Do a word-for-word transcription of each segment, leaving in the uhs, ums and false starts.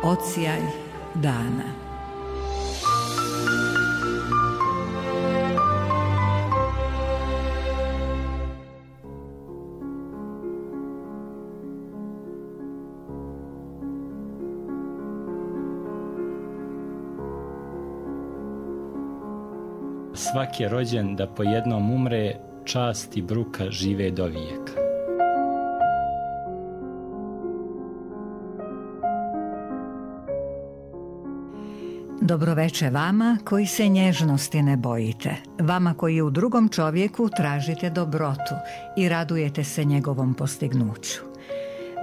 Odsjaj dana. Svak je rođen da po jednom umre, čast i bruka žive do vijeka. Dobroveče vama koji se nježnosti ne bojite, vama koji u drugom čovjeku tražite dobrotu i radujete se njegovom postignuću.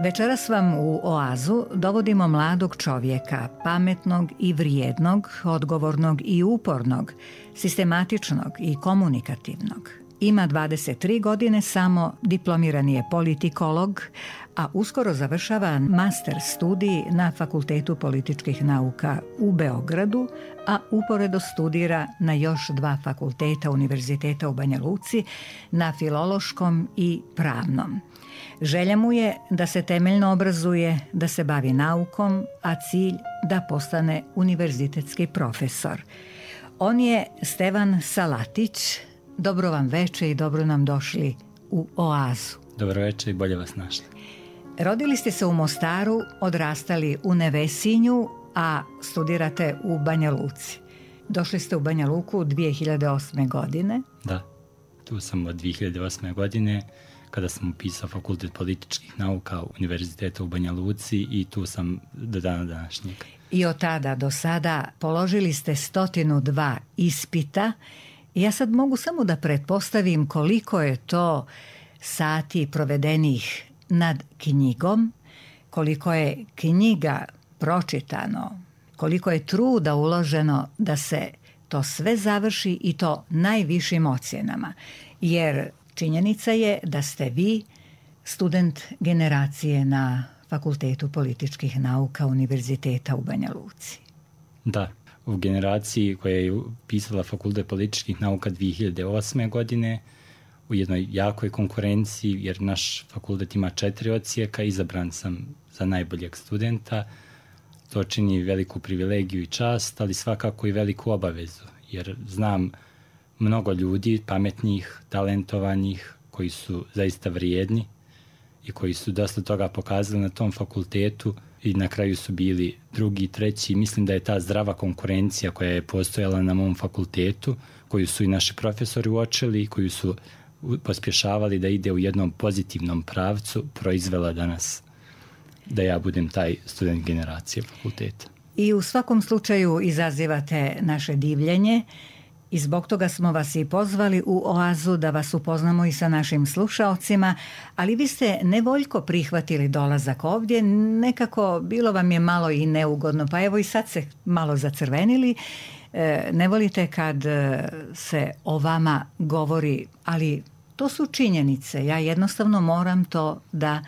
Večeras vam u Oazu dovodimo mladog čovjeka, pametnog i vrijednog, odgovornog i upornog, sistematičnog i komunikativnog. Ima dvadeset tri godine samo, diplomirani je politikolog, a uskoro završava master studij na Fakultetu političkih nauka u Beogradu, a uporedo studira na još dva fakulteta Univerziteta u Banja Luci, na Filološkom i Pravnom. Želja mu je da se temeljno obrazuje, da se bavi naukom, a cilj da postane univerzitetski profesor. On je Stevan Salatić. Dobro vam veče i dobro nam došli u Oazu. Dobro veče i bolje vas našli. Rodili ste se u Mostaru, odrastali u Nevesinju, a studirate u Banja Luci. Došli ste u Banja Luku dvije hiljade osme. godine. Da, tu sam od dvije hiljade osme. godine kada sam upisao Fakultet političkih nauka Univerziteta u Banja Luci i tu sam do dana današnjeg. I od tada do sada položili ste stotinu dva ispita. Ja sad mogu samo da pretpostavim koliko je to sati provedenih nad knjigom, koliko je knjiga pročitano, koliko je truda uloženo da se to sve završi i to najvišim ocjenama. Jer činjenica je da ste vi student generacije na Fakultetu političkih nauka Univerziteta u Banja Luci. Da, u generaciji koja je upisala Fakultet političkih nauka dvije hiljade osme. godine, u jednoj jakoj konkurenciji, jer naš fakultet ima četiri odsjeka, izabran sam za najboljeg studenta. To čini veliku privilegiju i čast, ali svakako i veliku obavezu, jer znam mnogo ljudi, pametnih, talentovanih, koji su zaista vrijedni i koji su dosta toga pokazali na tom fakultetu i na kraju su bili drugi, treći. Mislim da je ta zdrava konkurencija koja je postojala na mom fakultetu, koju su i naši profesori uočili i koju su pospješavali da ide u jednom pozitivnom pravcu, proizvela danas da ja budem taj student generacije fakulteta. I u svakom slučaju izazivate naše divljenje i zbog toga smo vas i pozvali u Oazu da vas upoznamo i sa našim slušaocima, ali vi ste nevoljko prihvatili dolazak ovdje, nekako bilo vam je malo i neugodno, pa evo i sad se malo zacrvenili. Ne volite kad se o vama govori, ali to su činjenice, ja jednostavno moram to da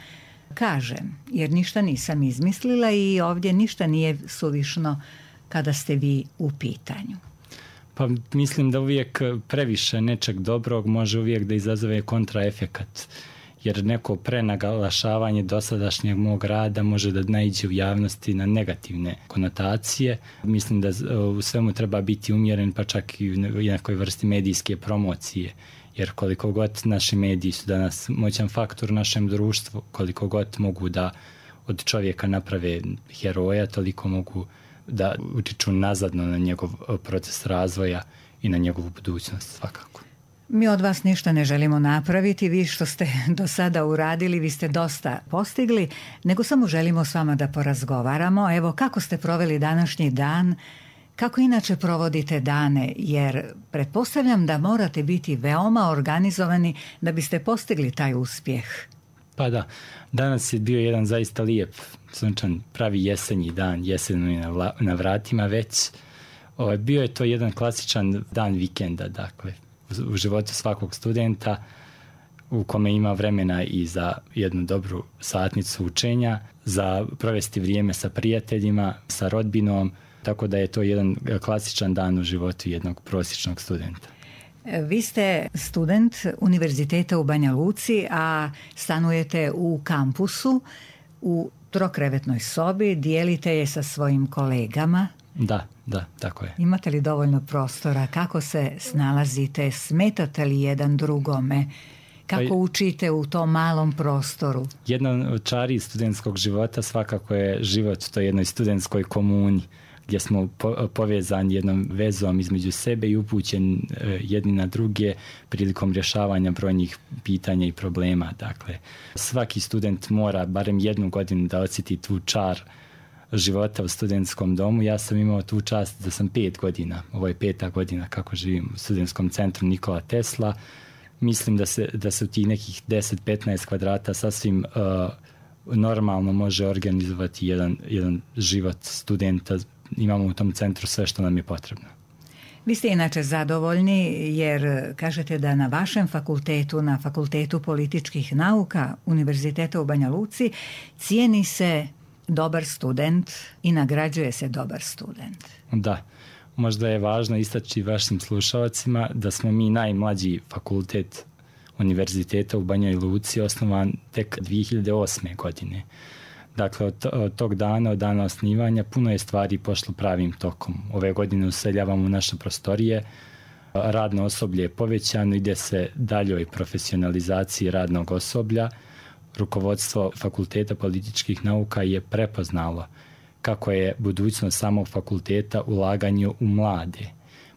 kažem, jer ništa nisam izmislila i ovdje ništa nije suvišno kada ste vi u pitanju. Pa mislim da uvijek previše nečeg dobrog može uvijek da izazove kontraefekat, jer neko prenaglašavanje dosadašnjeg mog rada može da naiđe u javnosti na negativne konotacije. Mislim da u svemu treba biti umjeren, pa čak i u nekoj vrsti medijske promocije, jer koliko god naši mediji su danas moćan faktor u našem društvu, koliko god mogu da od čovjeka naprave heroja, toliko mogu da utiču nazadno na njegov proces razvoja i na njegovu budućnost svakako. Mi od vas ništa ne želimo napraviti, vi što ste do sada uradili, vi ste dosta postigli, nego samo želimo s vama da porazgovaramo. Evo, kako ste proveli današnji dan, kako inače provodite dane, jer pretpostavljam da morate biti veoma organizovani da biste postigli taj uspjeh. Pa da, danas je bio jedan zaista lijep, sunčan, pravi jesenji dan, jesen je na, vla, na vratima već. O, bio je to jedan klasičan dan vikenda, dakle, u, u životu svakog studenta, u kome ima vremena i za jednu dobru satnicu učenja, za provesti vrijeme sa prijateljima, sa rodbinom, tako da je to jedan klasičan dan u životu jednog prosječnog studenta. Vi ste student Univerziteta u Banja Luci, a stanujete u kampusu u trokrevetnoj sobi, dijelite je sa svojim kolegama. Da, da, tako je. Imate li dovoljno prostora? Kako se snalazite? Smetate li jedan drugome? Kako pa, učite u tom malom prostoru? Jedna od čari studentskog života svakako je život u toj jednoj studentskoj komuni, gdje smo po, povezani jednom vezom između sebe i upućeni e, jedni na druge prilikom rješavanja brojnih pitanja i problema. Dakle, svaki student mora barem jednu godinu da osjeti tu čar života u studentskom domu. Ja sam imao tu čast da sam pet godina, ovo je peta godina kako živim u studentskom centru Nikola Tesla. Mislim da se, da se u tih nekih deset do petnaest kvadrata sasvim uh, normalno može organizovati jedan, jedan život studenta. Imamo u tom centru sve što nam je potrebno. Vi ste inače zadovoljni jer kažete da na vašem fakultetu, na Fakultetu političkih nauka Univerziteta u Banja Luci, cijeni se dobar student i nagrađuje se dobar student. Da, možda je važno istaći vašim slušalcima da smo mi najmlađi fakultet Univerziteta u Banjoj Luci, osnovan tek dvije hiljade osme. godine. Dakle, od, od tog dana, od dana osnivanja, puno je stvari pošlo pravim tokom. Ove godine useljavamo u naše prostorije, radno osoblje je povećano, ide se daljoj profesionalizaciji radnog osoblja. Rukovodstvo Fakulteta političkih nauka je prepoznalo kako je budućnost samog fakulteta ulaganju u mlade,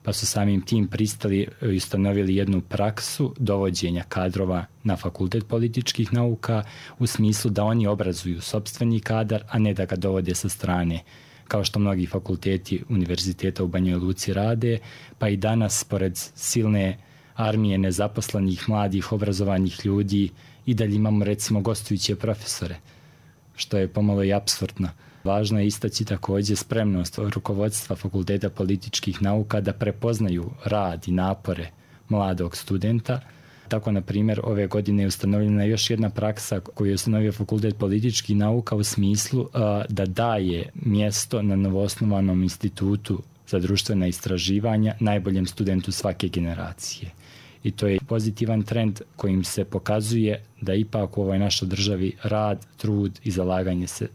pa su samim tim pristali i ustanovili jednu praksu dovođenja kadrova na Fakultet političkih nauka u smislu da oni obrazuju sopstveni kadar, a ne da ga dovode sa strane, kao što mnogi fakulteti Univerziteta u Banjoj Luci rade, pa i danas, pored silne armije nezaposlenih, mladih, obrazovanih ljudi, i dalje imamo recimo gostujuće profesore, što je pomalo i apsurdno. Važno je istaći također spremnost rukovodstva Fakulteta političkih nauka da prepoznaju rad i napore mladog studenta. Tako, na primjer, ove godine je ustanovljena još jedna praksa koju je ustanovio Fakultet političkih nauka u smislu uh, da daje mjesto na novoosnovanom institutu za društvena istraživanja najboljem studentu svake generacije. I to je pozitivan trend kojim se pokazuje da ipak u ovoj našoj državi rad, trud i zalaganje se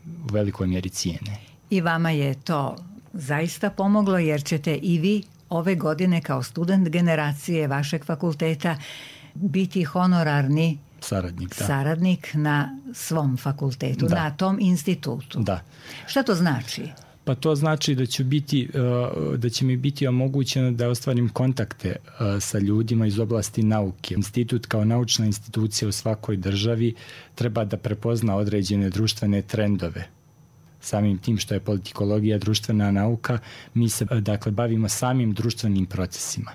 u velikoj mjeri cijene. I vama je to zaista pomoglo jer ćete i vi ove godine kao student generacije vašeg fakulteta biti honorarni saradnik, da. saradnik na svom fakultetu, da. Na tom institutu. Da. Šta to znači? Pa to znači da će, biti, da će mi biti omogućeno da ostvarim kontakte sa ljudima iz oblasti nauke. Institut kao naučna institucija u svakoj državi treba da prepozna određene društvene trendove. Samim tim što je politikologija društvena nauka, mi se dakle bavimo samim društvenim procesima.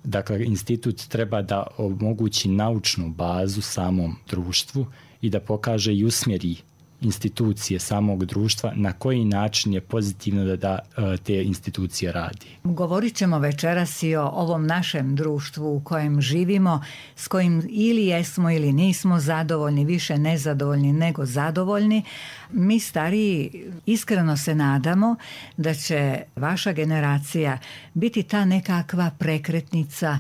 Dakle, institut treba da omogući naučnu bazu samom društvu i da pokaže i usmjeri institucije samog društva na koji način je pozitivno da, da te institucije radi. Govorit ćemo večeras i o ovom našem društvu u kojem živimo, s kojim ili jesmo ili nismo zadovoljni, više nezadovoljni nego zadovoljni. Mi stariji iskreno se nadamo da će vaša generacija biti ta nekakva prekretnica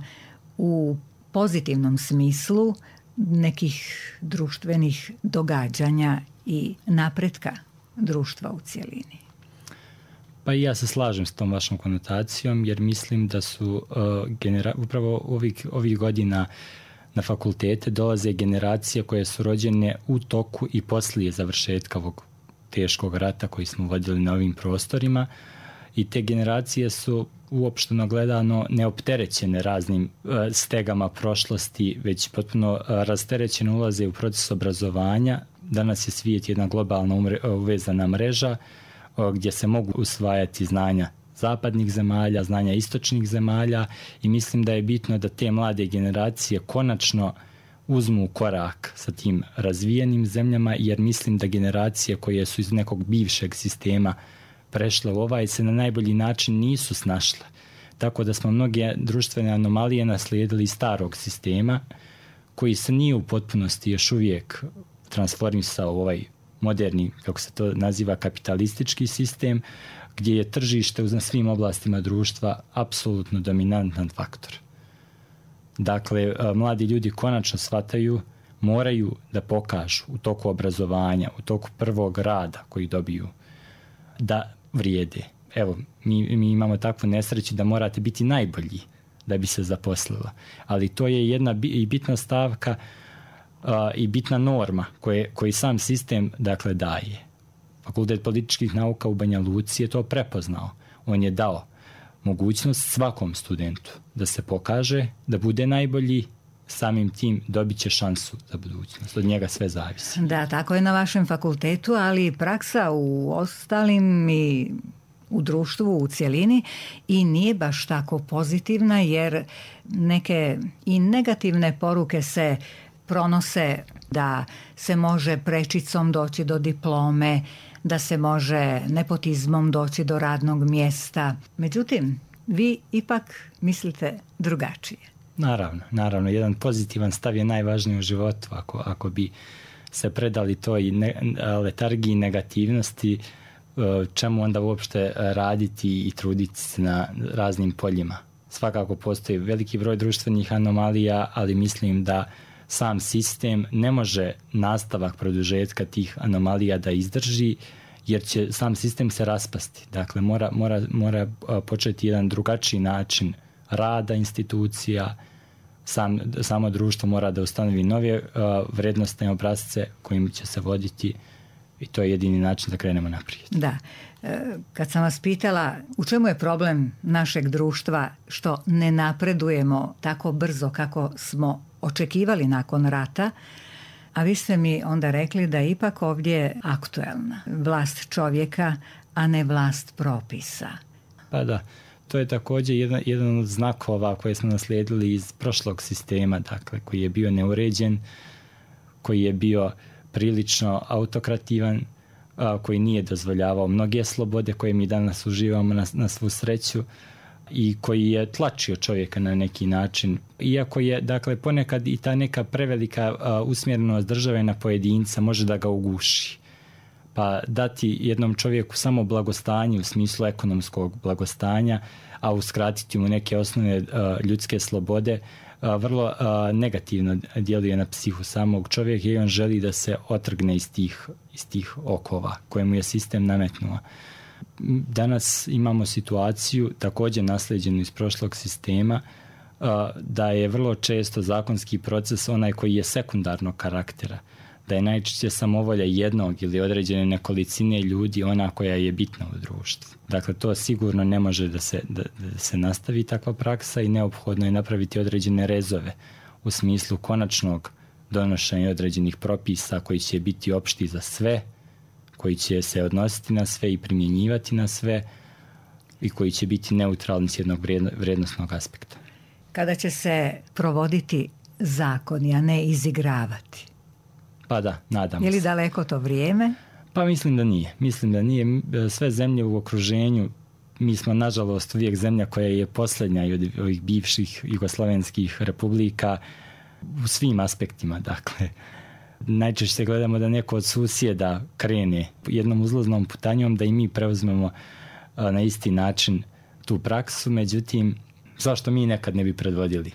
u pozitivnom smislu nekih društvenih događanja i napretka društva u cjelini. Pa i ja se slažem s tom vašom konotacijom jer mislim da su uh, genera- upravo ovih, ovih godina na fakultete dolaze generacije koje su rođene u toku i poslije završetka ovog teškog rata koji smo vodili na ovim prostorima i te generacije su uopšteno gledano neopterećene raznim uh, stegama prošlosti, već potpuno uh, rasterećeno ulaze u proces obrazovanja. Danas je svijet jedna globalna umre, uvezana mreža uh, gdje se mogu usvajati znanja zapadnih zemalja, znanja istočnih zemalja i mislim da je bitno da te mlade generacije konačno uzmu korak sa tim razvijenim zemljama, jer mislim da generacije koje su iz nekog bivšeg sistema prešle u ovaj se na najbolji način nisu snašle. Tako da smo mnoge društvene anomalije naslijedili iz starog sistema koji se nije u potpunosti još uvijek transformisao u ovaj moderni, kako se to naziva, kapitalistički sistem, gdje je tržište na svim oblastima društva apsolutno dominantan faktor. Dakle, mladi ljudi konačno shvataju moraju da pokažu u toku obrazovanja, u toku prvog rada koji dobiju, da vrijede. Evo, mi, mi imamo takvu nesreću da morate biti najbolji da bi se zaposlila. Ali to je jedna bi, bitna stavka uh, i bitna norma koje, koji sam sistem dakle daje. Fakultet političkih nauka u Banja Luci je to prepoznao. On je dao mogućnost svakom studentu da se pokaže, da bude najbolji, samim tim dobit će šansu za budućnost. Od njega sve zavisi. Da, tako je na vašem fakultetu, ali praksa u ostalim i u društvu u cjelini i nije baš tako pozitivna, jer neke i negativne poruke se pronose da se može prečicom doći do diplome, da se može nepotizmom doći do radnog mjesta. Međutim, vi ipak mislite drugačije. Naravno, naravno. Jedan pozitivan stav je najvažniji u životu. Ako, ako bi se predali toj ne, letargiji negativnosti, čemu onda uopšte raditi i truditi se na raznim poljima. Svakako postoji veliki broj društvenih anomalija, ali mislim da sam sistem ne može nastavak produžetka tih anomalija da izdrži, jer će sam sistem se raspasti. Dakle, mora, mora, mora početi jedan drugačiji način rada institucija, sam, samo društvo mora da ustanovi nove uh, vrednostne obrasce kojim će se voditi i to je jedini način da krenemo naprijed. Da. Kad sam vas pitala u čemu je problem našeg društva što ne napredujemo tako brzo kako smo očekivali nakon rata, a vi ste mi onda rekli da je ipak ovdje aktuelna vlast čovjeka, a ne vlast propisa. Pa da, to je također jedan, jedan od znakova koje smo naslijedili iz prošlog sistema, dakle, koji je bio neuređen, koji je bio prilično autokrativan, a, koji nije dozvoljavao mnoge slobode koje mi danas uživamo na, na svu sreću i koji je tlačio čovjeka na neki način. Iako je, dakle, ponekad i ta neka prevelika a, usmjerenost države na pojedinca može da ga uguši. Pa dati jednom čovjeku samo blagostanje u smislu ekonomskog blagostanja, a uskratiti mu neke osnovne a, ljudske slobode, a, vrlo a, negativno djeluje na psihu samog čovjeka i on želi da se otrgne iz tih, iz tih okova koje mu je sistem nametnuo. Danas imamo situaciju, također naslijeđenu iz prošlog sistema, a, da je vrlo često zakonski proces onaj koji je sekundarnog karaktera, da je najčešće samovolja jednog ili određene nekolicine ljudi ona koja je bitna u društvu. Dakle, to sigurno ne može da se, da, da se nastavi takva praksa i neophodno je napraviti određene rezove u smislu konačnog donošenja određenih propisa koji će biti opšti za sve, koji će se odnositi na sve i primjenjivati na sve i koji će biti neutralni s jednog vrijednosnog aspekta. Kada će se provoditi zakoni, a ne izigravati? Pa da, nadam se. Je li daleko to vrijeme? Pa mislim da nije. Mislim da nije. Sve zemlje u okruženju, mi smo nažalost uvijek zemlja koja je posljednja od ovih bivših jugoslovenskih republika u svim aspektima. Dakle, najčešće se gledamo da neko od susjeda krene jednom uzlaznom putanjom, da i mi preuzmemo na isti način tu praksu. Međutim, zašto mi nekad ne bi predvodili?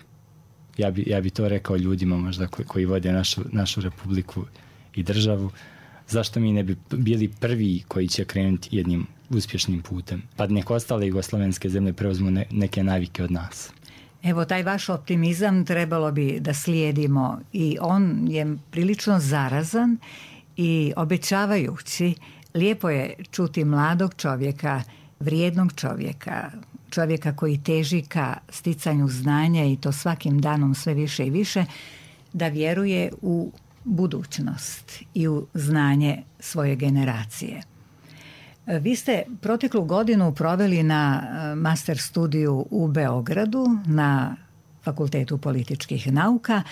Ja bi, ja bi to rekao ljudima možda koji, koji vode našu, našu republiku i državu. Zašto mi ne bi bili prvi koji će krenuti jednim uspješnim putem? Pa nek ostale jugoslovenske zemlje preuzmu ne, neke navike od nas. Evo, taj vaš optimizam trebalo bi da slijedimo i on je prilično zarazan i obećavajući. Lijepo je čuti mladog čovjeka, vrijednog čovjeka, čovjeka koji teži ka sticanju znanja i to svakim danom sve više i više, da vjeruje u budućnost i u znanje svoje generacije. Vi ste proteklu godinu proveli na master studiju u Beogradu na Fakultetu političkih nauka.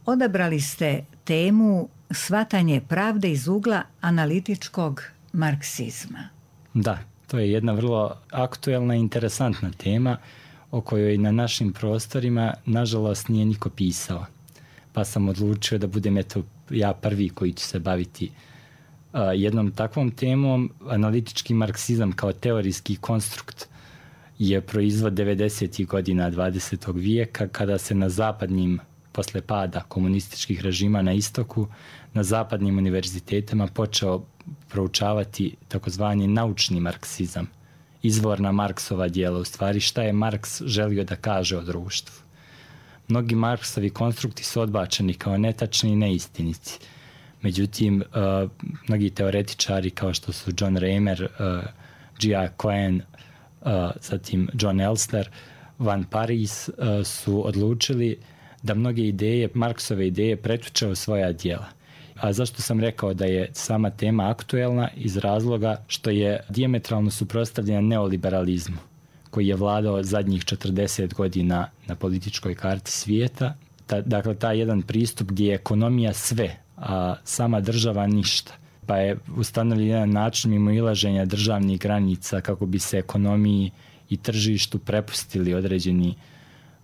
Odabrali ste temu shvatanje pravde iz ugla analitičkog marksizma. Da. To je jedna vrlo aktuelna i interesantna tema o kojoj na našim prostorima nažalost nije niko pisao. Pa sam odlučio da budem eto ja prvi koji će se baviti uh, jednom takvom temom. Analitički marksizam kao teorijski konstrukt je proizvod devedesetih godina dvadesetog vijeka kada se na zapadnim posle pada komunističkih režima na istoku, na zapadnim univerzitetima počeo proučavati takozvani naučni marksizam, izvorna Marksova djela, u stvari šta je Marks želio da kaže o društvu. Mnogi Marksovi konstrukti su odbačeni kao netačni i neistinici. Međutim, uh, mnogi teoretičari kao što su John Raymer, uh, G A Cohen, uh, zatim John Elster, Van Parijs uh, su odlučili da mnoge ideje, Marksove ideje, pretuče u svoja djela. A zašto sam rekao da je sama tema aktuelna? Iz razloga što je dijametralno suprotstavljena neoliberalizmu, koji je vladao zadnjih četrdeset godina na političkoj karti svijeta. Ta, dakle, taj jedan pristup gdje je ekonomija sve, a sama država ništa. Pa je ustanovljen jedan način mimoilaženja državnih granica kako bi se ekonomiji i tržištu prepustili određeni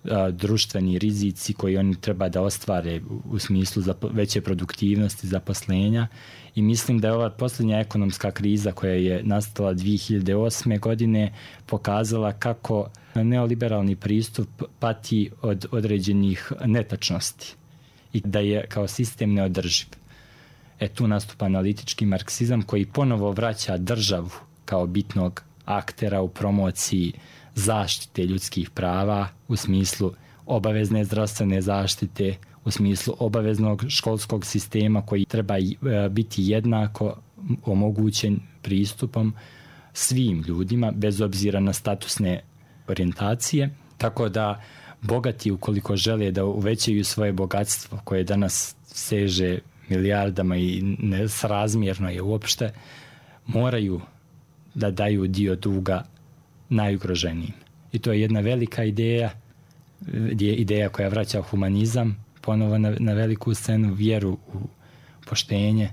a, društveni rizici koji oni treba da ostvare u, u smislu za veće produktivnosti, zaposlenja. I mislim da je ova posljednja ekonomska kriza koja je nastala dvije hiljade osme. godine pokazala kako neoliberalni pristup pati od određenih netačnosti i da je kao sistem neodrživ. E tu nastupa analitički marksizam koji ponovo vraća državu kao bitnog aktera u promociji zaštite ljudskih prava u smislu obavezne zdravstvene zaštite, u smislu obaveznog školskog sistema koji treba biti jednako omogućen pristupom svim ljudima bez obzira na statusne orijentacije. Tako da bogati, ukoliko žele da uvećaju svoje bogatstvo koje danas seže milijardama i nesrazmjerno je uopšte, moraju da daju dio duga najugroženijim. I to je jedna velika ideja, ideja koja vraća humanizam ponovo na, na veliku scenu, vjeru u poštenje.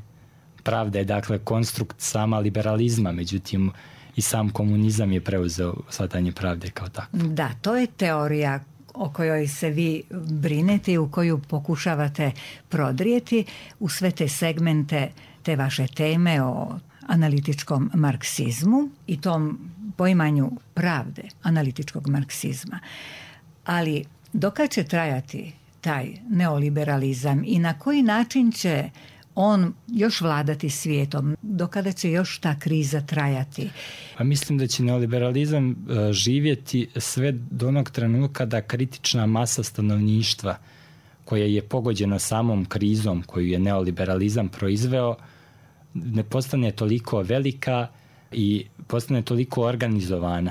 Pravda je dakle konstrukt sama liberalizma, međutim i sam komunizam je preuzeo shvatanje pravde kao tako. Da, to je teorija o kojoj se vi brinete i u koju pokušavate prodrijeti u sve te segmente te vaše teme o analitičkom marksizmu i tom poimanju pravde analitičkog marksizma. Ali dokad će trajati taj neoliberalizam i na koji način će on još vladati svijetom? Dokada će još ta kriza trajati? Pa mislim da će neoliberalizam živjeti sve do onog trenutka da kritična masa stanovništva koja je pogođena samom krizom koju je neoliberalizam proizveo ne postane toliko velika i postane toliko organizovana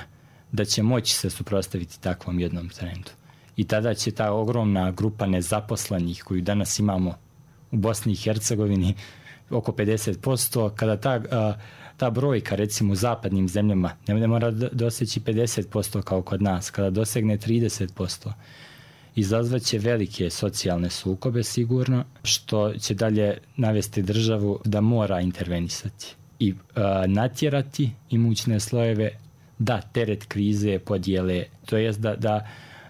da će moći se suprotstaviti takvom jednom trendu. I tada će ta ogromna grupa nezaposlenih koju danas imamo u Bosni i Hercegovini oko pedeset posto, kada ta, ta brojka recimo u zapadnim zemljama ne mora doseći pedeset posto kao kod nas, kada dosegne trideset posto, izazvaće velike socijalne sukobe sigurno, što će dalje navesti državu da mora intervenisati i a, natjerati imućne slojeve da teret krize podijele, to jest da, da,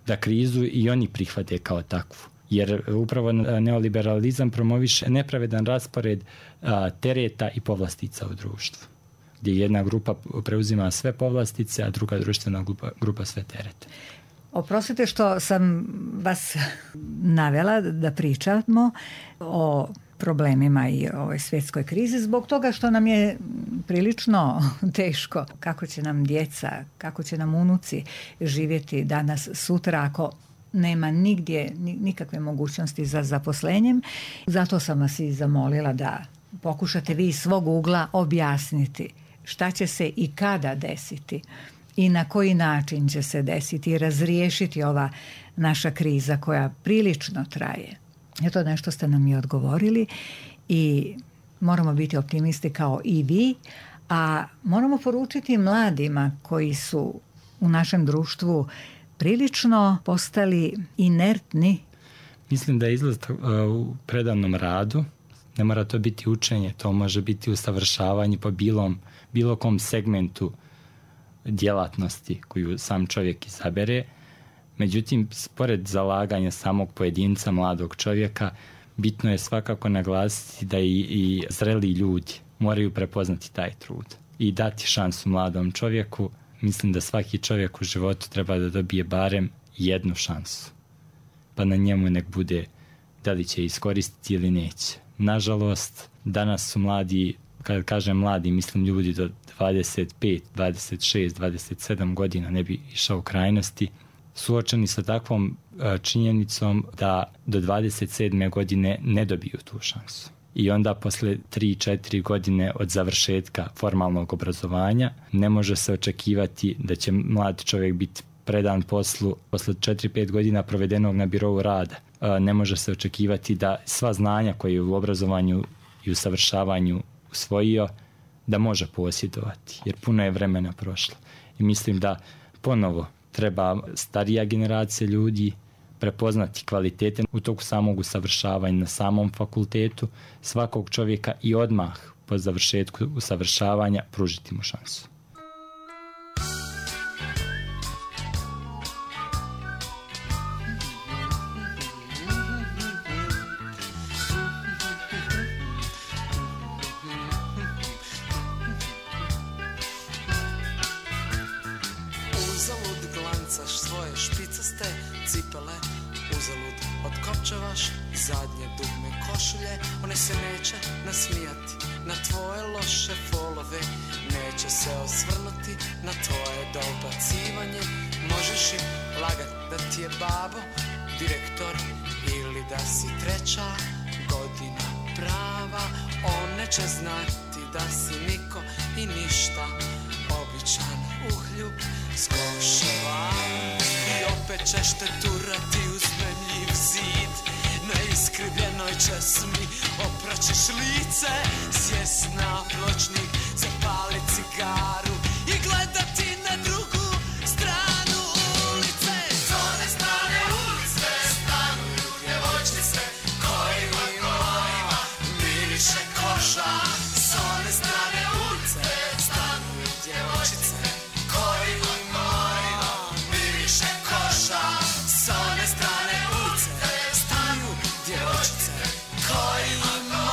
da krizu i oni prihvate kao takvu. Jer upravo neoliberalizam promoviše nepravedan raspored a, tereta i povlastica u društvu, gdje jedna grupa preuzima sve povlastice, a druga društvena grupa, grupa sve terete. Oprostite što sam vas navela da pričamo o problemima i ovoj svjetskoj krizi zbog toga što nam je prilično teško kako će nam djeca, kako će nam unuci živjeti danas, sutra ako nema nigdje nikakve mogućnosti za zaposlenjem. Zato sam vas i zamolila da pokušate vi iz svog ugla objasniti šta će se i kada desiti i na koji način će se desiti i razriješiti ova naša kriza koja prilično traje. Eto, nešto ste nam i odgovorili i moramo biti optimisti kao i vi, a moramo poručiti mladima koji su u našem društvu prilično postali inertni. Mislim da je izlaz u predavnom radu, ne mora to biti učenje, to može biti usavršavanje po bilom, bilo kom segmentu djelatnosti koju sam čovjek izabere. Međutim, spored zalaganja samog pojedinca, mladog čovjeka, bitno je svakako naglasiti da i, i zreli ljudi moraju prepoznati taj trud i dati šansu mladom čovjeku. Mislim da svaki čovjek u životu treba da dobije barem jednu šansu. Pa na njemu nek bude da li će iskoristiti ili neće. Nažalost, danas su mladi, kad kažem mladi, mislim ljudi do dvadeset pet, dvadeset šest, dvadeset sedam godina, ne bi išao u krajnosti, suočeni sa takvom činjenicom da do dvadeset sedme godine ne dobiju tu šansu. I onda posle tri četiri godine od završetka formalnog obrazovanja ne može se očekivati da će mlad čovjek biti predan poslu posle četiri pet godina provedenog na birou rada. Ne može se očekivati da sva znanja koje je u obrazovanju i usavršavanju usvojio da može posjedovati, jer puno je vremena prošlo. I mislim da ponovo treba starija generacija ljudi prepoznati kvalitete u toku samog usavršavanja na samom fakultetu svakog čovjeka i odmah po završetku usavršavanja pružiti mu šansu. Zadnje dugme košulje, one se neće nasmijati na tvoje loše folove, neće se osvrnuti na tvoje dobacivanje. Možeš im lagat da ti je babo direktor ili da si treća godina prava. One će znati da si niko i ništa, običan uhljub s koševa. I opet ćeš te turati uz memljiv zid, na iskrivljenoj česmi opraćeš lice, sjest na pločnik, zapali cigaru i gledati na drugu stranu ulice. S one strane ulice stanuju djevojčice kojima miriše koša. S one strane ulice stanuju djevojčice kojima miriše koša. S one strane ulice djevojčice kojima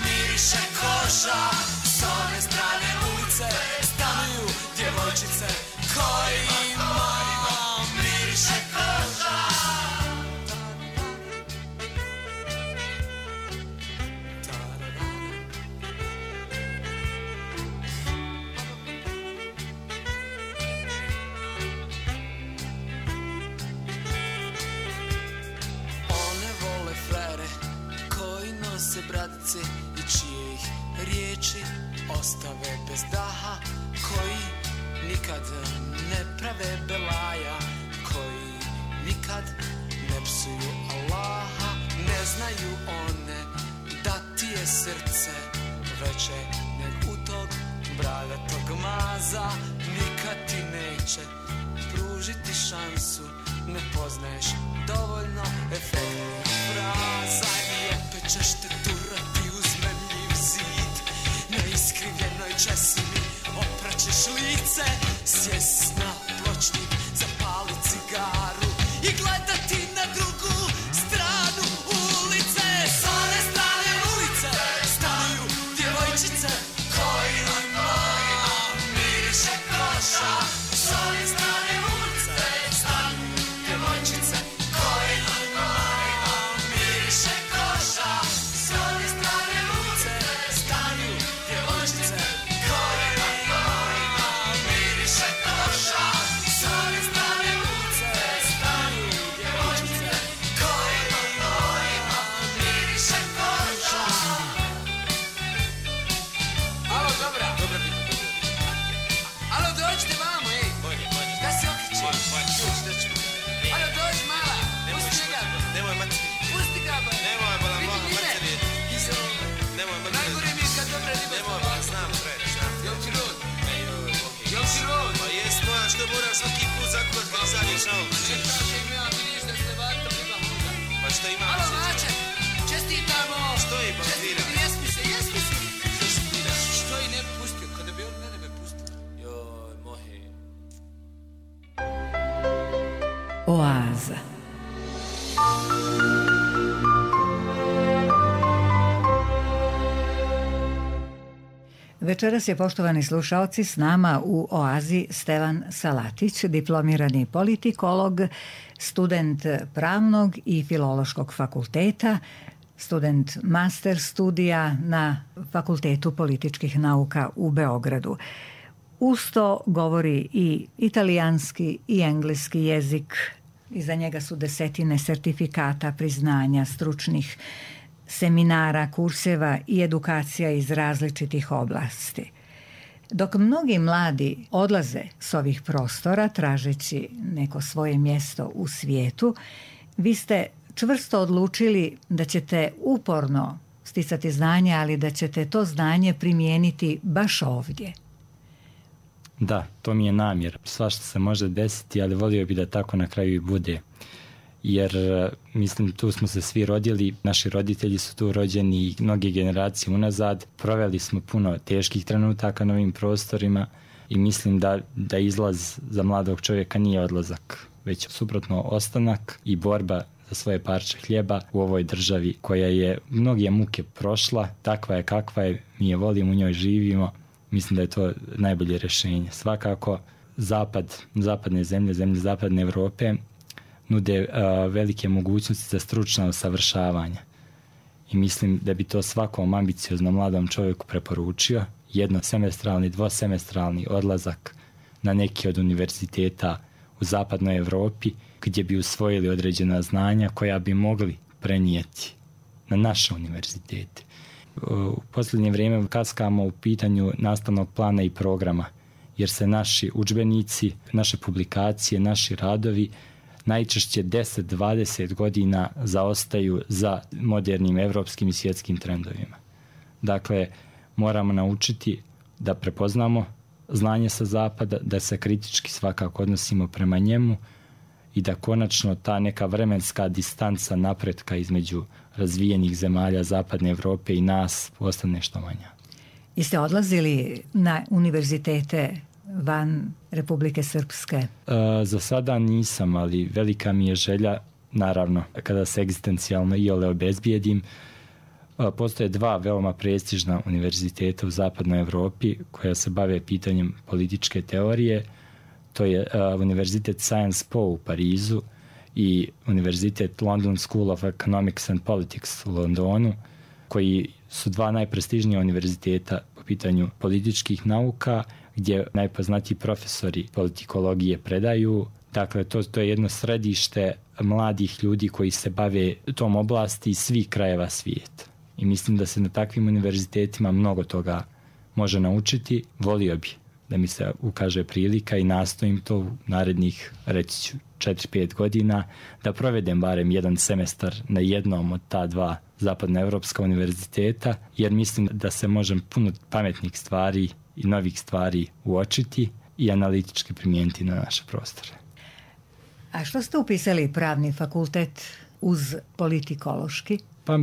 miriše koša. S one strane ulice stanuju djevojčice kojima miriše koša. Se bradice i čije ih riječi ostave bez daha, koji nikad ne prave belaja, koji nikad ne psuju Allaha. Ne znaju one da ti je srce veće nek u tog bradatog maza. Nikad ti neće pružiti šansu, ne poznaješ dovoljno efektnih fraza. I opet ćeš te turati uz memljiv zid, na iskrivljenoj česmi opraćeš lice, sjest na pločnik, zapali cigaru i gledati na drugu stranu ulice. S one strane ulice stanuju djevojčice kojima miriše koša. S one strane ulice stanuju djevojčice kojima miriše koša. S one strane ulice stanuju djevojčice kojima miriše koša. S one strane ulice stanuju djevojčice kojima miriše koša. Alo, dobra, dobra biti. Alo, dođite vamo, ej. Da se okriči. Alo, dođi mala. Pusti ga. Nemoj materi. Pusti ga, ba. Nemoj, bala, moja materi. Nemoj materi. Najgore mi je kad dobra riba. Nemoj, bala, znam, pre, znam. Jel ti rod? Jel ti rod? Pa jes, moja, što moram svaki put zakuvat kad zadnješ na ovom. Čekaj, še ima, vidiš da ste vatom riba huda. Pa što ima? Alo, Maček, čestitamo. Što je, ba, vira? Jesmi se, jesmi se. Što je ne pustio, kada bi on mene me pustio. Joj, mohe. Oaza. Večeras je, poštovani slušaoci, s nama u Oazi Stevan Salatić, diplomirani politikolog, student Pravnog i Filološkog fakulteta, student master studija na Fakultetu političkih nauka u Beogradu. Uz to govori i italijanski i engleski jezik. Iza njega su desetine sertifikata, priznanja, stručnih seminara, kurseva i edukacija iz različitih oblasti. Dok mnogi mladi odlaze s ovih prostora tražeći neko svoje mjesto u svijetu, vi ste čvrsto odlučili da ćete uporno sticati znanje, ali da ćete to znanje primijeniti baš ovdje. Da, to mi je namjer. Svašta se može desiti, ali volio bi da tako na kraju i bude. Jer, mislim, tu smo se svi rodili, naši roditelji su tu rođeni i mnoge generacije unazad. Proveli smo puno teških trenutaka na ovim prostorima i mislim da, da izlaz za mladog čovjeka nije odlazak, već suprotno ostanak i borba za svoje parče hljeba u ovoj državi koja je mnoge muke prošla, takva je kakva je, mi je volimo, u njoj živimo. Mislim da je to najbolje rješenje. Svakako, zapad, zapadne zemlje, zemlje zapadne Evrope nude uh, velike mogućnosti za stručna usavršavanja. I mislim da bi to svakom ambicioznom mladom čovjeku preporučio. Jednosemestralni, dvosemestralni odlazak na neki od univerziteta u zapadnoj Evropi gdje bi usvojili određena znanja koja bi mogli prenijeti na naše univerzitete. U posljednje vrijeme kaskamo u pitanju nastavnog plana i programa, jer se naši udžbenici, naše publikacije, naši radovi najčešće deset do dvadeset godina zaostaju za modernim evropskim i svjetskim trendovima. Dakle, moramo naučiti da prepoznamo znanje sa zapada, da se kritički svakako odnosimo prema njemu i da konačno ta neka vremenska distanca napretka između razvijenih zemalja zapadne Evrope i nas postane što manja. Jeste odlazili na univerzitete van Republike Srpske? E, za sada nisam, ali velika mi je želja, naravno, kada se egzistencijalno iole obezbijedim. E, postoje dva veoma prestižna univerziteta u zapadnoj Evropi koja se bave pitanjem političke teorije. To je uh, Univerzitet Sciences Po u Parizu i Univerzitet London School of Economics and Politics u Londonu, koji su dva najprestižnija univerziteta po pitanju političkih nauka, gdje najpoznatiji profesori politikologije predaju. Dakle, to, to je jedno središte mladih ljudi koji se bave tom oblasti iz svih krajeva svijeta. I mislim da se na takvim univerzitetima mnogo toga može naučiti. Volio bi da mi se ukaže prilika i nastojim to u narednih, reći ću, četiri pet godina, da provedem barem jedan semestar na jednom od ta dva zapadnoevropska univerziteta, jer mislim da se možem puno pametnih stvari i novih stvari uočiti i analitički primijeniti na naše prostore. A što ste upisali pravni fakultet uz politikološki? Pa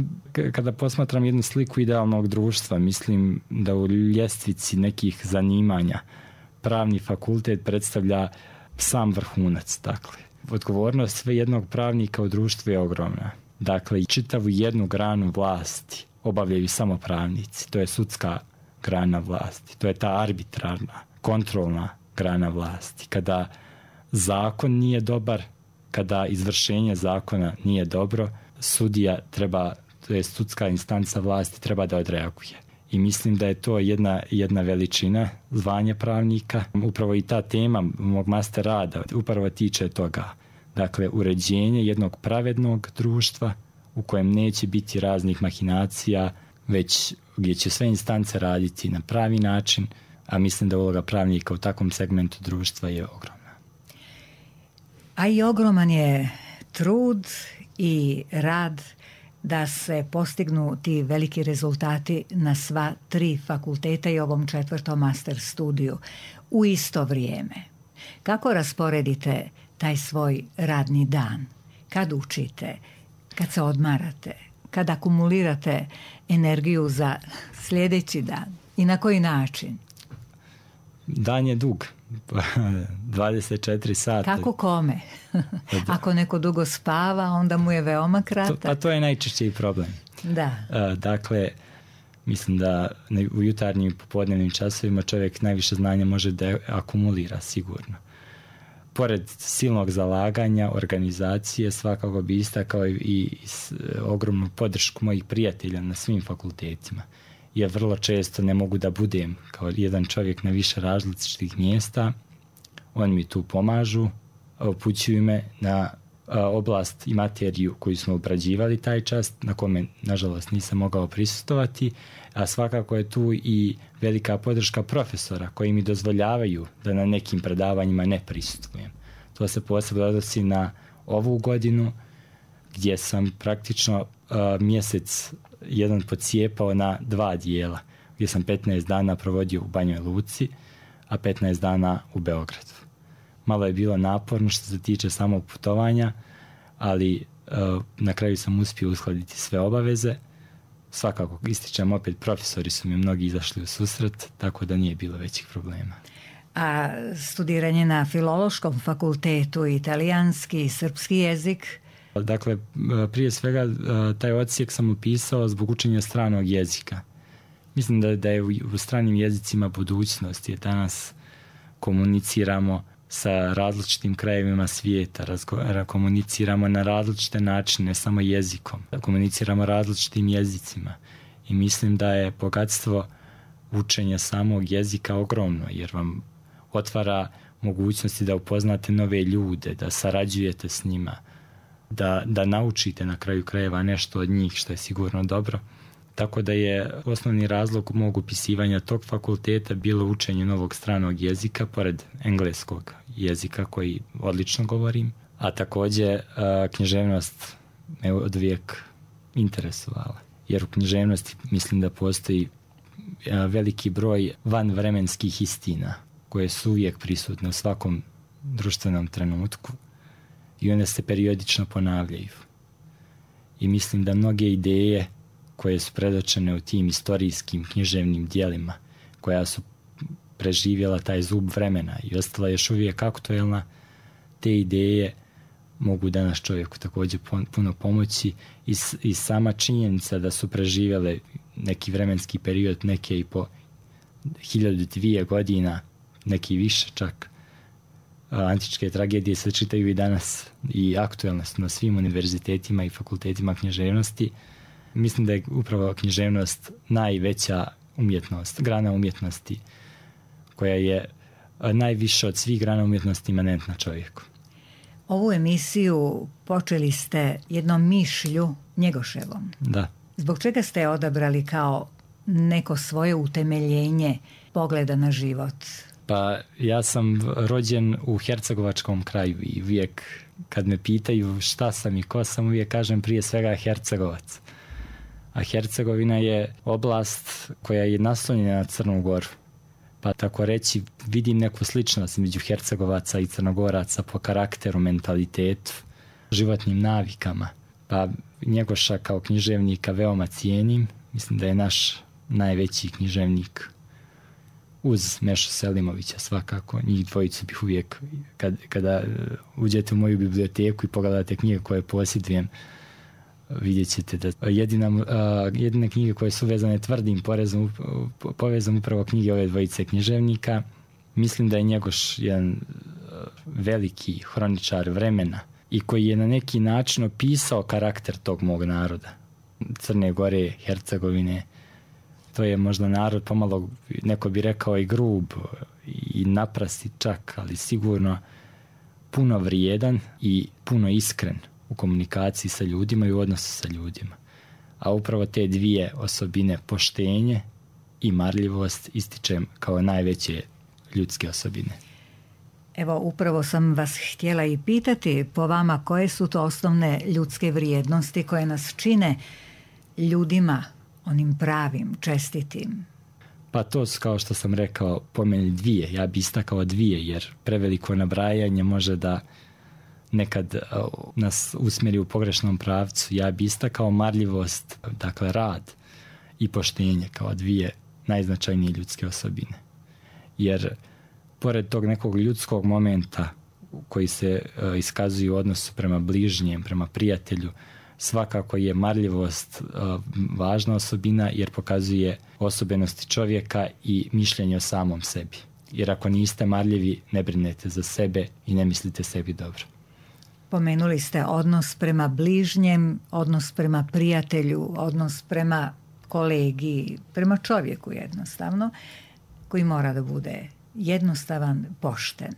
kada posmatram jednu sliku idealnog društva, mislim da u ljestvici nekih zanimanja pravni fakultet predstavlja sam vrhunac. Dakle, odgovornost sve jednog pravnika u društvu je ogromna. Dakle, čitavu jednu granu vlasti obavljaju samo pravnici. To je sudska grana vlasti. To je ta arbitrarna, kontrolna grana vlasti. Kada zakon nije dobar, kada izvršenje zakona nije dobro, sudija treba, to je sudska instanca vlasti, treba da odreaguje. I mislim da je to jedna, jedna veličina zvanja pravnika. Upravo i ta tema mog master rada upravo tiče toga. Dakle, uređenje jednog pravednog društva u kojem neće biti raznih mahinacija, već gdje će sve instance raditi na pravi način, a mislim da uloga pravnika u takvom segmentu društva je ogromna. A i ogroman je trud i rad da se postignu ti veliki rezultati na sva tri fakulteta i ovom četvrtom master studiju u isto vrijeme. Kako rasporedite taj svoj radni dan? Kad učite? Kad se odmarate? Kad akumulirate energiju za sljedeći dan? I na koji način? Dan je dug. dvadeset četiri sata. Kako kome? Ako neko dugo spava, onda mu je veoma kratak. To, pa to je najčešći problem. Da. Dakle, Mislim da u jutarnjim i popodnevnim časovima čovjek najviše znanja može da akumulira sigurno. Pored silnog zalaganja, organizacije, svakako bi istakao i, i ogromnu podršku mojih prijatelja na svim fakultetima. Ja vrlo često ne mogu da budem kao jedan čovjek na više različitih mjesta. Oni mi tu pomažu, upućuju me na oblast i materiju koju smo obrađivali taj čas, na kome, nažalost, nisam mogao prisustovati, a svakako je tu i velika podrška profesora koji mi dozvoljavaju da na nekim predavanjima ne prisustvujem. To se posebno odnosi na ovu godinu, gdje sam praktično uh, mjesec jedan pocijepao na dva dijela, gdje sam petnaest dana provodio u Banjoj Luci, a petnaest dana u Beogradu. Malo je bilo naporno što se tiče samog putovanja, ali uh, na kraju sam uspio uskladiti sve obaveze. Svakako ističem opet, profesori su mi mnogi izašli u susret, tako da nije bilo većih problema. A studiranje na Filološkom fakultetu, italijanski i srpski jezik? Dakle, prije svega taj odsjek sam upisao zbog učenja stranog jezika. Mislim da, da je u, u stranim jezicima budućnost, jer danas komuniciramo sa različitim krajevima svijeta, razgo, komuniciramo na različite načine, ne samo jezikom, komuniciramo različitim jezicima i mislim da je bogatstvo učenja samog jezika ogromno, jer vam otvara mogućnosti da upoznate nove ljude, da sarađujete s njima, da, da naučite na kraju krajeva nešto od njih, što je sigurno dobro. Tako da je osnovni razlog mog upisivanja tog fakulteta bilo učenje novog stranog jezika, pored engleskog jezika koji odlično govorim, a također književnost me od uvijek interesovala. Jer u književnosti mislim da postoji veliki broj vanvremenskih istina koje su uvijek prisutne u svakom društvenom trenutku i one se periodično ponavljaju. I mislim da mnoge ideje koje su predočene u tim istorijskim književnim dijelima, koja su preživjela taj zub vremena i ostala još uvijek aktuelna, te ideje mogu danas čovjeku također puno pomoći i, i sama činjenica da su preživjele neki vremenski period, neke i po hiljadu dvije godina, neki više čak. Antičke tragedije se čitaju i danas i aktuelne su na svim univerzitetima i fakultetima književnosti. Mislim da je upravo književnost najveća umjetnost, grana umjetnosti, koja je najviše od svih grana umjetnosti imanentna čovjeku. Ovu emisiju počeli ste jednom mišlju Njegoševom. Da. Zbog čega ste je odabrali kao neko svoje utemeljenje pogleda na život? Pa ja sam rođen u hercegovačkom kraju i uvijek kad me pitaju šta sam i ko sam, uvijek kažem prije svega Hercegovac. A Hercegovina je oblast koja je naslonjena na Crnu Goru. Pa tako reći, vidim neku sličnost među Hercegovaca i Crnogoraca po karakteru, mentalitetu, životnim navikama. Pa Njegoša kao književnika veoma cijenim. Mislim da je naš najveći književnik uz Mešu Selimovića svakako. Njih dvojicu bih uvijek, kad, kada uđete u moju biblioteku i pogledate knjige koje posjedujem, vidjet ćete da jedina, uh, jedine knjige koje su vezane tvrdim porezom, povezom upravo knjige ove dvojice književnika. Mislim da je Njegoš jedan uh, veliki hroničar vremena i koji je na neki način opisao karakter tog mog naroda. Crne Gore, Hercegovine. To je možda narod pomalo, neko bi rekao i grub i naprasti čak, ali sigurno puno vrijedan i puno iskren u komunikaciji sa ljudima i u odnosu sa ljudima. A upravo te dvije osobine, poštenje i marljivost, ističem kao najveće ljudske osobine. Evo, upravo sam vas htjela i pitati po vama koje su to osnovne ljudske vrijednosti koje nas čine ljudima, onim pravim, čestitim. Pa to su, kao što sam rekao, po meni dvije. Ja bi istakao dvije, jer preveliko nabrajanje može da nekad uh, nas usmjeri u pogrešnom pravcu. Ja bi istakao marljivost, dakle rad i poštenje kao dvije najznačajnije ljudske osobine. Jer pored tog nekog ljudskog momenta koji se uh, iskazuje u odnosu prema bližnjem, prema prijatelju, svakako je marljivost uh, važna osobina jer pokazuje osobenosti čovjeka i mišljenje o samom sebi. Jer ako niste marljivi, ne brinete za sebe i ne mislite sebi dobro. Pomenuli ste odnos prema bližnjem, odnos prema prijatelju, odnos prema kolegi, prema čovjeku jednostavno, koji mora da bude jednostavan, pošten.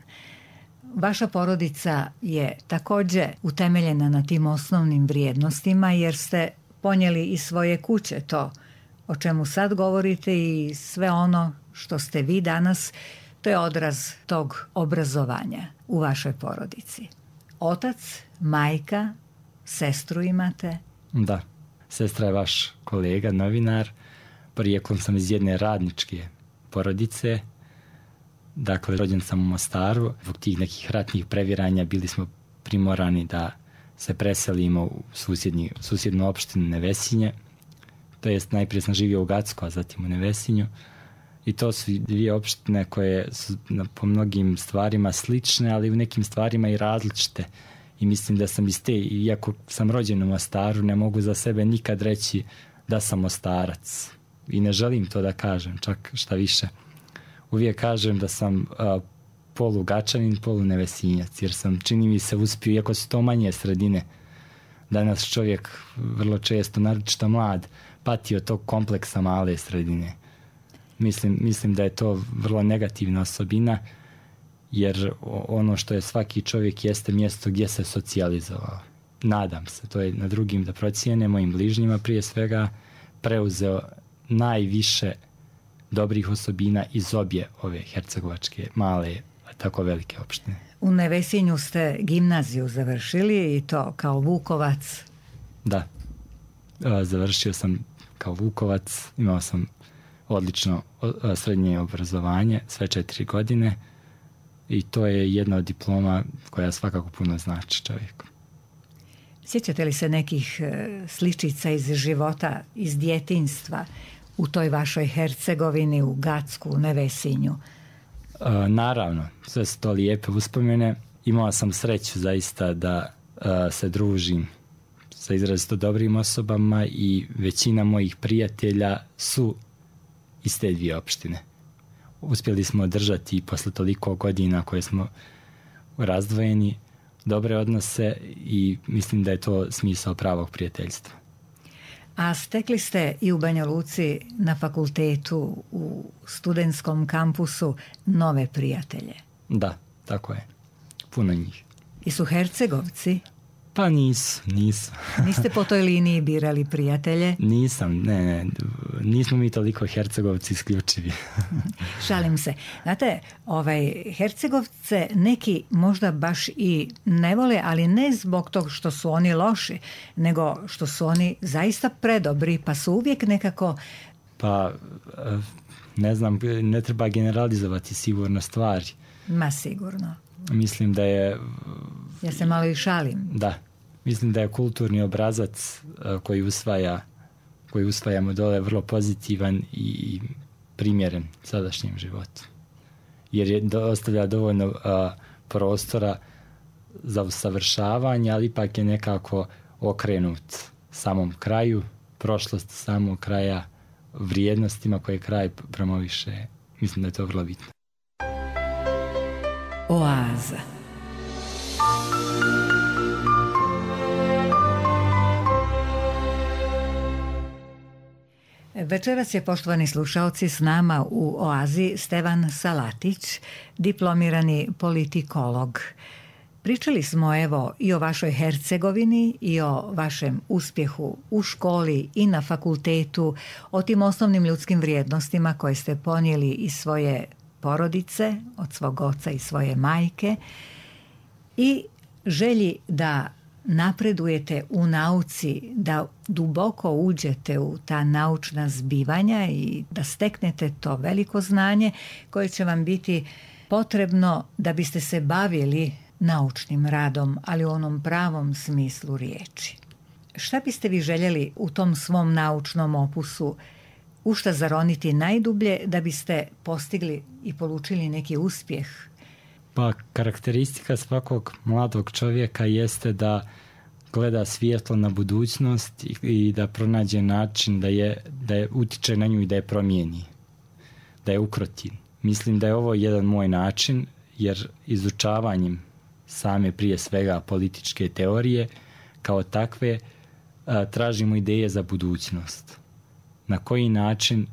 Vaša porodica je također utemeljena na tim osnovnim vrijednostima jer ste ponijeli iz svoje kuće to o čemu sad govorite i sve ono što ste vi danas, to je odraz tog obrazovanja u vašoj porodici. Otac, majka, sestru imate? Da, sestra je vaš kolega, novinar. Porijeklom sam iz jedne radničke porodice. Dakle, rođen sam u Mostaru. Zbog tih nekih ratnih previranja bili smo primorani da se preselimo u susjednji, susjednu opštinu Nevesinje. To jest, najprije sam živio u Gacku, a zatim u Nevesinju. I to su dvije opštine koje su po mnogim stvarima slične, ali u nekim stvarima i različite. I mislim da sam iz te, iako sam rođen u Mostaru, ne mogu za sebe nikad reći da sam Mostarac. I ne želim to da kažem, čak šta više. Uvijek kažem da sam uh, polu Gačanin, polu Nevesinjac, jer sam, čini mi se, uspio, iako su to manje sredine. Danas čovjek vrlo često, naročito mlad, pati od tog kompleksa male sredine. Mislim, mislim da je to vrlo negativna osobina, jer ono što je svaki čovjek jeste mjesto gdje se socijalizovao. Nadam se, to je na drugim da procijene, mojim bližnjima prije svega, preuzeo najviše dobrih osobina iz obje ove hercegovačke male, a tako velike opštine. U Nevesinju ste gimnaziju završili i to kao Vukovac? Da, završio sam kao Vukovac, imao sam odlično srednje obrazovanje, sve četiri godine i to je jedna od diploma koja svakako puno znači čovjeku. Sjećate li se nekih sličica iz života, iz djetinjstva u toj vašoj Hercegovini, u Gacku, u Nevesinju? E, naravno, sve su to lijepe uspomene. Imao sam sreću zaista da e, se družim sa izrazito dobrim osobama i većina mojih prijatelja su iz te dvije opštine. Uspjeli smo održati posle toliko godina koje smo razdvojeni dobre odnose i mislim da je to smisao pravog prijateljstva. A stekli ste i u Banja Luci na fakultetu u studentskom kampusu nove prijatelje? Da, tako je. Puno njih. I su Hercegovci? Pa nisu, nisu. Niste po toj liniji birali prijatelje? Nisam, ne, ne. Nismo mi toliko Hercegovci isključivi. Šalim se. Znate, ovaj, Hercegovce neki možda baš i ne vole, ali ne zbog tog što su oni loši, nego što su oni zaista predobri, pa su uvijek nekako... Pa, ne znam, ne treba generalizovati sigurno stvari. Ma sigurno. Mislim da je... Ja se malo i šalim. Da. Mislim da je kulturni obrazac koji usvaja koji usvajamo dole vrlo pozitivan i primjeren sadašnjem životu. Jer je ostavlja dovoljno a, prostora za usavršavanje, ali ipak je nekako okrenut samom kraju, prošlosti samog kraja, vrijednostima koje kraj promoviše. Mislim da je to vrlo bitno. Oaza. Večeras je, poštovani slušaoci, s nama u Oazi Stevan Salatić, diplomirani politikolog. Pričali smo evo i o vašoj Hercegovini i o vašem uspjehu u školi i na fakultetu, o tim osnovnim ljudskim vrijednostima koje ste ponijeli iz svoje porodice, od svog oca i svoje majke i želji da napredujete u nauci, da duboko uđete u ta naučna zbivanja i da steknete to veliko znanje koje će vam biti potrebno da biste se bavili naučnim radom, ali u onom pravom smislu riječi. Šta biste vi željeli u tom svom naučnom opusu u šta zaroniti najdublje da biste postigli i polučili neki uspjeh? Pa karakteristika svakog mladog čovjeka jeste da gleda svjetlo na budućnost i, i da pronađe način da je, da je utiče na nju i da je promijeni, da je ukroti. Mislim da je ovo jedan moj način, jer izučavanjem same prije svega političke teorije kao takve a, tražimo ideje za budućnost. Na koji način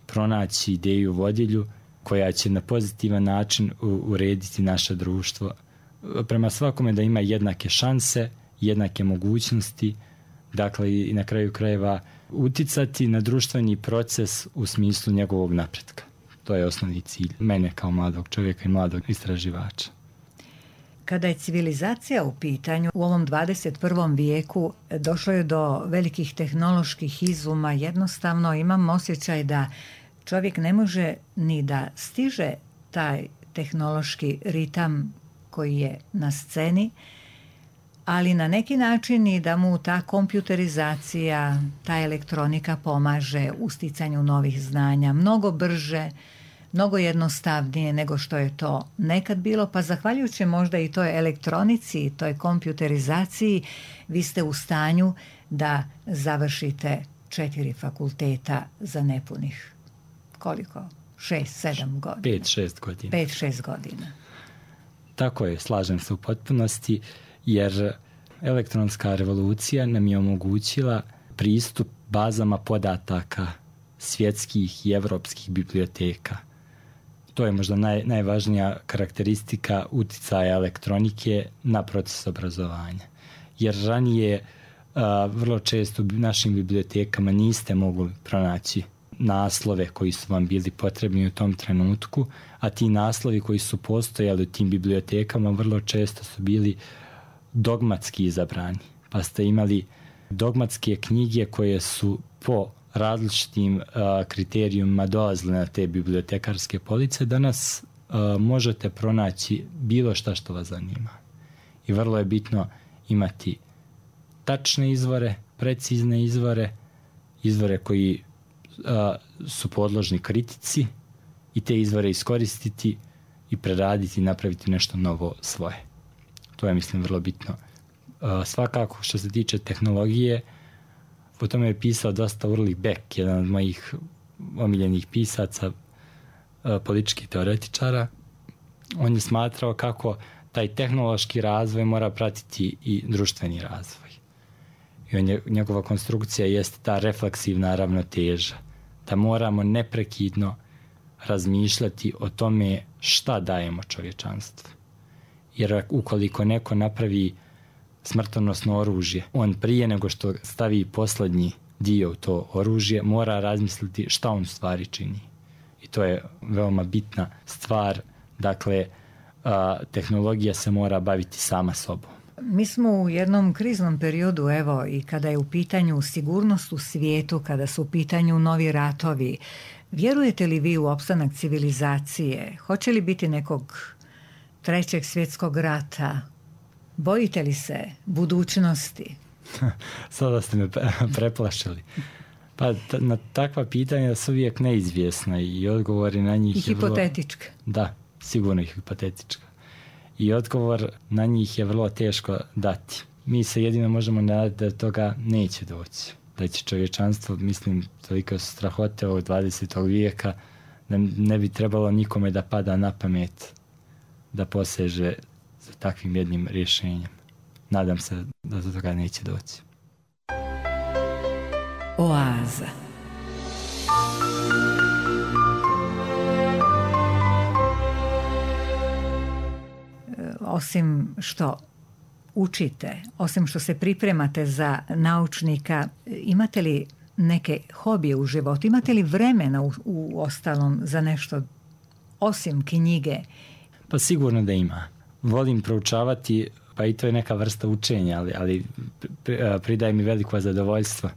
pronaći ideju vodilju koja će na pozitivan način urediti naše društvo. Prema svakome da ima jednake šanse, jednake mogućnosti, dakle i na kraju krajeva uticati na društveni proces u smislu njegovog napretka. To je osnovni cilj mene kao mladog čovjeka i mladog istraživača. Kada je civilizacija u pitanju, u ovom dvadeset prvom vijeku došlo je do velikih tehnoloških izuma. Jednostavno imam osjećaj da čovjek ne može ni da stiže taj tehnološki ritam koji je na sceni, ali na neki način i da mu ta kompjuterizacija, ta elektronika pomaže u sticanju novih znanja mnogo brže, mnogo jednostavnije nego što je to nekad bilo, pa zahvaljujući možda i toj elektronici, toj kompjuterizaciji, vi ste u stanju da završite četiri fakulteta za nepunih koliko? Šest, sedam godina. Pet, šest godina. Pet, šest godina. Tako je, slažem se u potpunosti, jer elektronska revolucija nam je omogućila pristup bazama podataka svjetskih i evropskih biblioteka. To je možda naj, najvažnija karakteristika uticaja elektronike na proces obrazovanja. Jer ranije a, vrlo često u našim bibliotekama niste mogli pronaći naslove koji su vam bili potrebni u tom trenutku, a ti naslovi koji su postojali u tim bibliotekama vrlo često su bili dogmatski izabrani. Pa ste imali dogmatske knjige koje su po različitim uh, kriterijumima dolazile na te bibliotekarske police. Danas uh, možete pronaći bilo šta što vas zanima. I vrlo je bitno imati tačne izvore, precizne izvore, izvore koji uh, su podložni kritici i te izvore iskoristiti i preraditi i napraviti nešto novo svoje. To je, mislim, vrlo bitno. Uh, svakako, što se tiče tehnologije, o tome je pisao dosta Ulrich Beck, jedan od mojih omiljenih pisaca, uh, političkih teoretičara. On je smatrao kako taj tehnološki razvoj mora pratiti i društveni razvoj. I on je, njegova konstrukcija jeste ta refleksivna ravnoteža, da moramo neprekidno razmišljati o tome šta dajemo čovječanstvu. Jer ukoliko neko napravi smrtonosno oružje, on prije nego što stavi posljednji dio u to oružje, mora razmisliti šta on u stvari čini. I to je veoma bitna stvar. Dakle, a, tehnologija se mora baviti sama sobom. Mi smo u jednom kriznom periodu, evo, i kada je u pitanju sigurnost u svijetu, kada su u pitanju novi ratovi. Vjerujete li vi u opstanak civilizacije? Hoće li biti nekog trećeg svjetskog rata? Bojite li se budućnosti? Sada ste me preplašili. Pa t- na takva pitanja su uvijek neizvjesna i odgovori na njih... I hipotetička. Vrlo, da, sigurno i hipotetička. I odgovor na njih je vrlo teško dati. Mi se jedino možemo nadati da toga neće doći. Da će čovječanstvo, mislim, toliko su strahote ovog dvadesetog vijeka, da ne bi trebalo nikome da pada na pamet da poseže za takvim jednim rješenjem. Nadam se da do toga neće doći. Oaza. Osim što učite, osim što se pripremate za naučnika, imate li neke hobije u životu? Imate li vremena u, u ostalom za nešto osim knjige? Pa sigurno da ima. Volim proučavati, pa i to je neka vrsta učenja, ali, ali pridaje mi veliko zadovoljstvo.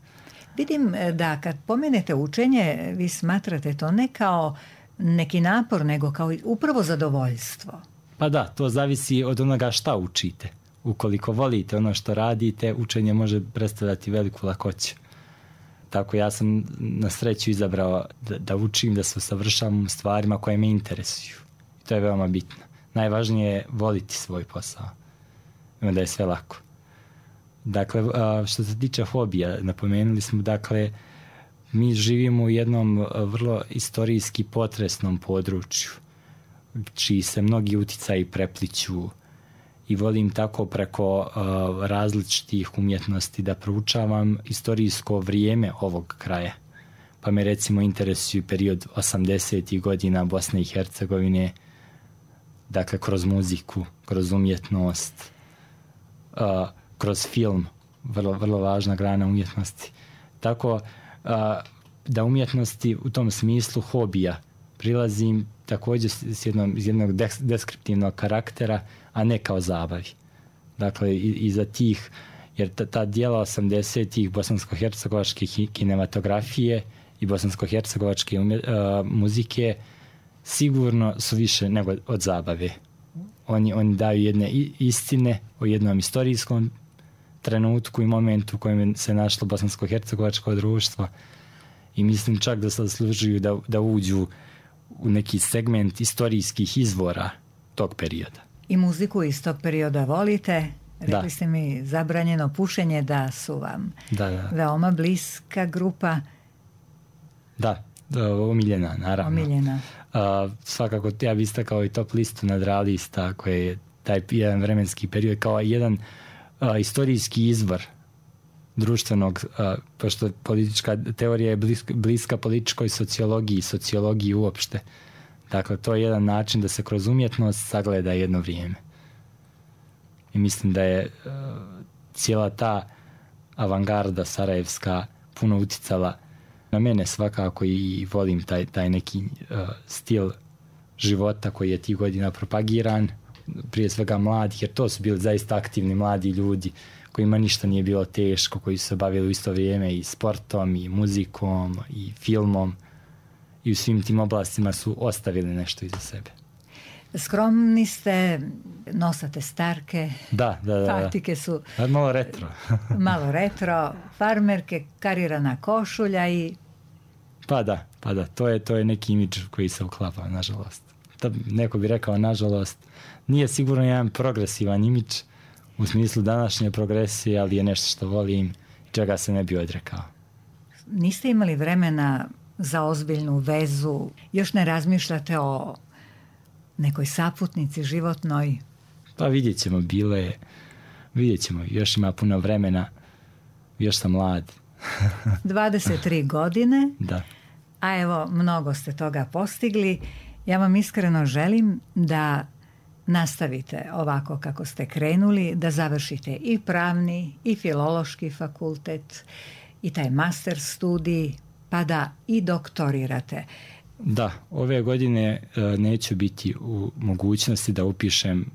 Vidim da kad pomenete učenje, vi smatrate to ne kao neki napor, nego kao upravo zadovoljstvo. Pa da, to zavisi od onoga šta učite. Ukoliko volite ono što radite, učenje može predstavljati veliku lakoću. Tako ja sam na sreću izabrao da, da učim, da se usavršavam stvarima koje me interesuju. I to je veoma bitno. Najvažnije je voliti svoj posao. I onda je sve lako. Dakle, što se tiče hobija, napomenuli smo, dakle, mi živimo u jednom vrlo istorijski potresnom području, čiji se mnogi uticaji prepliću i volim tako preko uh, različitih umjetnosti da proučavam istorijsko vrijeme ovog kraja. Pa me recimo interesuju period osamdesetih godina Bosne i Hercegovine, dakle kroz muziku, kroz umjetnost, uh, kroz film, vrlo, vrlo važna grana umjetnosti. Tako uh, da umjetnosti u tom smislu hobija prilazim također s jednom, iz jednog deskriptivnog karaktera, a ne kao zabavi. Dakle, iza tih, jer ta, ta dijela osamdesetih bosansko-hercegovačke kinematografije i bosansko-hercegovačke uh, muzike sigurno su više nego od zabave. Oni, oni daju jedne istine o jednom istorijskom trenutku i momentu u kojem se našlo bosansko-hercegovačko društvo i mislim čak da se zaslužuju da, da uđu u neki segment istorijskih izvora tog perioda. I muziku iz tog perioda volite? Rekli da. ste mi zabranjeno pušenje, da su vam da, da. veoma bliska grupa. Da, da, omiljena, naravno. Omiljena. Uh, svakako, ja bih istakao i top listu nadrealista, koji je taj jedan vremenski period kao jedan uh, istorijski izvor društvenog, uh, pošto politička teorija je bliska, bliska političkoj sociologiji, sociologiji uopšte. Dakle, to je jedan način da se kroz umjetnost sagleda jedno vrijeme. I mislim da je uh, cijela ta avangarda sarajevska puno uticala na mene svakako i volim taj, taj neki uh, stil života koji je tih godina propagiran, prije svega mladih, jer to su bili zaista aktivni mladi ljudi kojima ništa nije bilo teško, koji su se bavili u isto vrijeme i sportom, i muzikom, i filmom, i u svim tim oblastima su ostavili nešto iza sebe. Skromni ste, nosate starke, da, da, da, patike su da. Malo retro. malo retro, farmerke, karirana košulja i... Pa da, pa da, to je, to je neki imidž koji se uklapa, nažalost. Da, neko bi rekao, nažalost, nije sigurno jedan progresivan imidž u smislu današnje progresije, ali je nešto što volim i čega se ne bi odrekao. Niste imali vremena za ozbiljnu vezu, još ne razmišljate o nekoj saputnici životnoj? Pa vidjet ćemo, bilo je, vidjet ćemo, još ima puno vremena, još sam mlad. dvadeset tri godine, da. A evo, mnogo ste toga postigli. Ja vam iskreno želim da nastavite ovako kako ste krenuli, da završite i pravni i filološki fakultet i taj master studij, pa da i doktorirate. Da, ove godine uh, neću biti u mogućnosti da upišem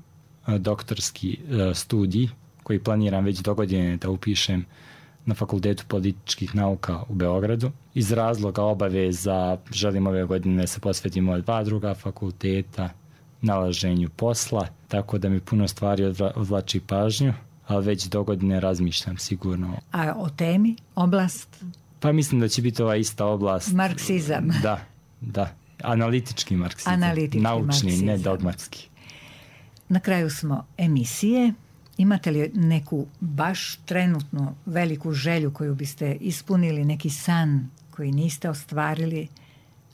uh, doktorski uh, studij koji planiram već do godine da upišem na Fakultetu političkih nauka u Beogradu. Iz razloga obaveza želim ove godine se posvetimo dva druga fakulteta, nalaženju posla, tako da mi puno stvari odvlači pažnju, ali već do godine razmišljam sigurno. A o temi, oblast? Pa mislim da će biti ova ista oblast. Marksizam. Da, da. Analitički marksizam. Analitički Naučni, marksizam. ne dogmatski. Na kraju smo emisije. Imate li neku baš trenutno veliku želju koju biste ispunili, neki san koji niste ostvarili,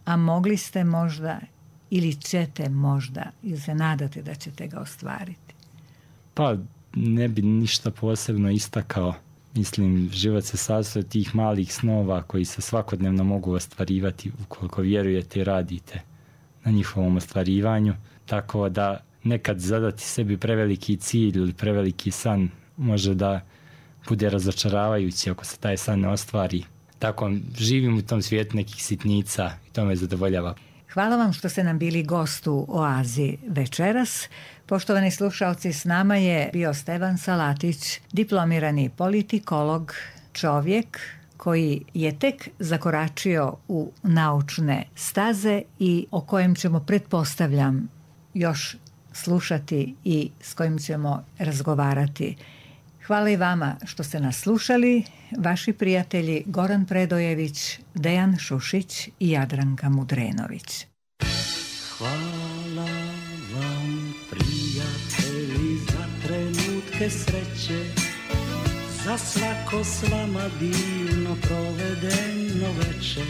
a mogli ste možda ili ćete možda ili se nadate da ćete ga ostvariti? Pa ne bi ništa posebno istakao. Mislim, život se sastoji od tih malih snova koji se svakodnevno mogu ostvarivati ukoliko vjerujete i radite na njihovom ostvarivanju. Tako da nekad zadati sebi preveliki cilj ili preveliki san može da bude razočaravajući ako se taj san ne ostvari. Tako živim u tom svijetu nekih sitnica i to me zadovoljava. Hvala vam što ste nam bili gost u Oazi večeras. Poštovani slušalci, s nama je bio Stevan Salatić, diplomirani politikolog, čovjek koji je tek zakoračio u naučne staze i o kojem ćemo, pretpostavljam, još slušati i s kojim ćemo razgovarati. Hvala i vama što ste nas slušali. Vaši prijatelji Goran Predojević, Dejan Šušić i Jadranka Mudrenović. Hvala vam, prijatelji, za trenutke sreće, za svako s vama divno provedeno večer.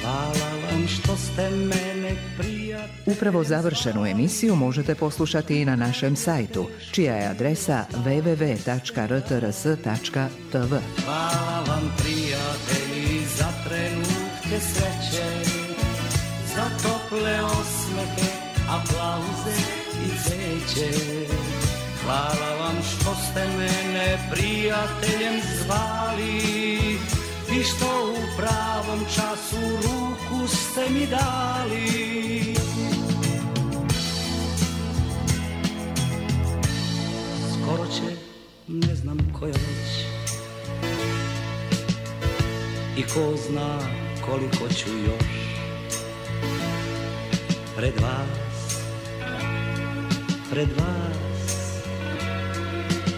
Hvala vam što ste mene prijatelji. Upravo završenu emisiju možete poslušati i na našem sajtu, čija je adresa w w w tačka r t r s tačka t v. Hvala vam prijatelji za trenutke sreće, za tople osmehe, aplauze i cveće. Hvala vam što ste mene prijateljem zvali i što u pravom času ruku ste mi dali. Skoro će, ne znam koja već, i ko zna koliko ću još pred vas, pred vas,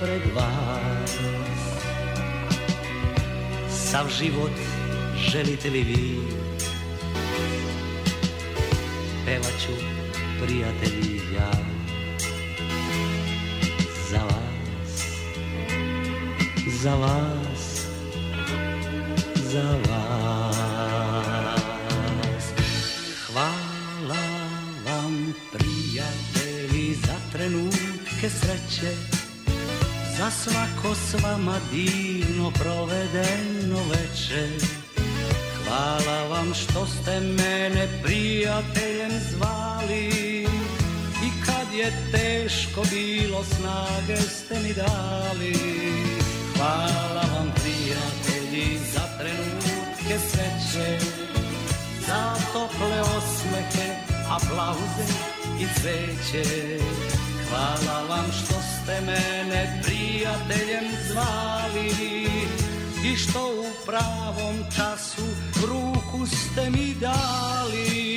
pred vas. Sav život želite li vi, pevat ću prijatelji ja za vas, za vas, za vas. Hvala vam prijatelji za trenutke sreće, za svako s vama divno provedeno večer. Hvala vam što ste mene prijateljem zvali i kad je teško bilo snage ste mi dali. Hvala vam prijatelji za trenutke sreće, za tople osmehe, aplauze i cveće. Hvala vam što ste mene prijateljem zvali i što u pravom času ruku ste mi dali.